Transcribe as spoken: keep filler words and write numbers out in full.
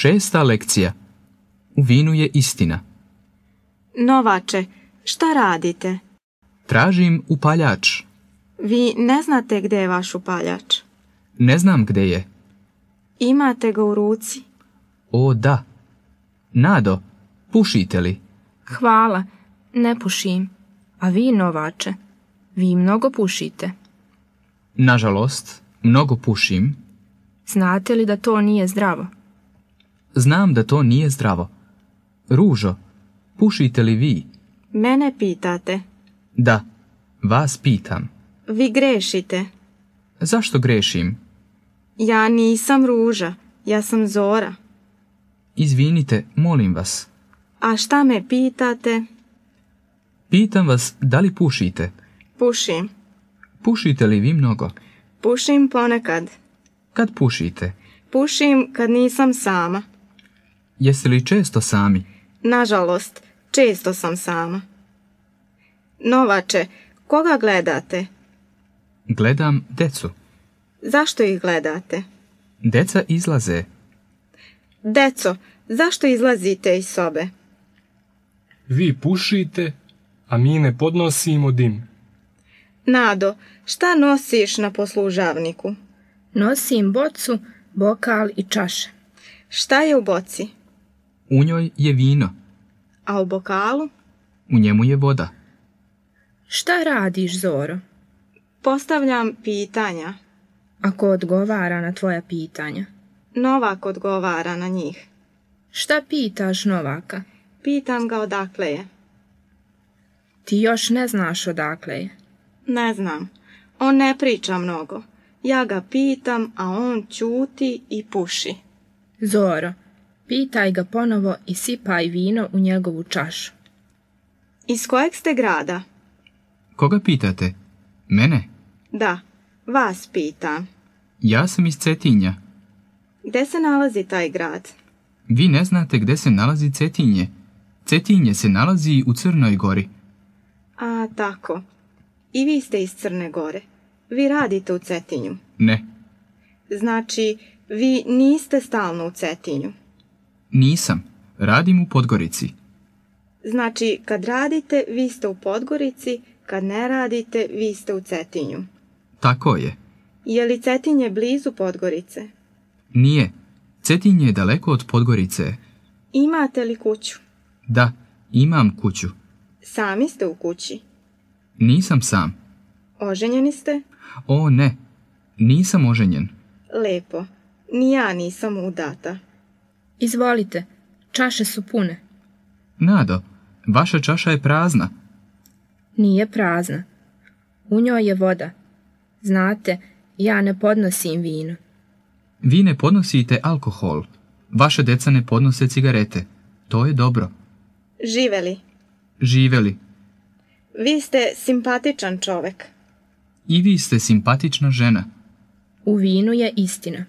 Šesta lekcija. U vinu je istina. Novače, šta radite? Tražim upaljač. Vi ne znate gdje je vaš upaljač? Ne znam gdje je. Imate ga u ruci? O, da. Nado, pušite li? Hvala, ne pušim. A vi, novače, vi mnogo pušite. Nažalost, mnogo pušim. Znate li da to nije zdravo? Znam da to nije zdravo. Ružo, pušite li vi? Mene pitate? Da, vas pitam. Vi grešite. Zašto grešim? Ja nisam Ruža, ja sam Zora. Izvinite, molim vas. A šta me pitate? Pitam vas da li pušite. Pušim. Pušite li vi mnogo? Pušim ponekad. Kad pušite? Pušim kad nisam sama. Jeste li često sami? Nažalost, često sam sama. Novače, koga gledate? Gledam decu. Zašto ih gledate? Deca izlaze. Deco, zašto izlazite iz sobe? Vi pušite, a mi ne podnosimo dim. Nado, šta nosiš na poslužavniku? Nosim bocu, bokal i čaše. Šta je u boci? U njoj je vino. A u bokalu? U njemu je voda. Šta radiš, Zoro? Postavljam pitanja. Ako odgovara na tvoja pitanja? Novak odgovara na njih. Šta pitaš Novaka? Pitam ga odakle je. Ti još ne znaš odakle je. Ne znam. On ne priča mnogo. Ja ga pitam, a on ćuti i puši. Zoro, pitaj ga ponovo i sipaj vino u njegovu čašu. Iz kojeg ste grada? Koga pitate? Mene? Da, vas pitam. Ja sam iz Cetinja. Gde se nalazi taj grad? Vi ne znate gde se nalazi Cetinje. Cetinje se nalazi u Crnoj Gori. A, tako. I vi ste iz Crne Gore. Vi radite u Cetinju. Ne. Znači, vi niste stalno u Cetinju. Nisam. Radim u Podgorici. Znači, kad radite, vi ste u Podgorici, kad ne radite, vi ste u Cetinju. Tako je. Je li Cetinje blizu Podgorice? Nije. Cetinje je daleko od Podgorice. Imate li kuću? Da, imam kuću. Sami ste u kući? Nisam sam. Oženjeni ste? O, ne. Nisam oženjen. Lepo. Ni ja nisam udata. Izvolite, čaše su pune. Nado, vaša čaša je prazna. Nije prazna. U njoj je voda. Znate, ja ne podnosim vino. Vi ne podnosite alkohol. Vaše deca ne podnose cigarete. To je dobro. Živeli. Živeli. Vi ste simpatičan čovek. I vi ste simpatična žena. U vinu je istina.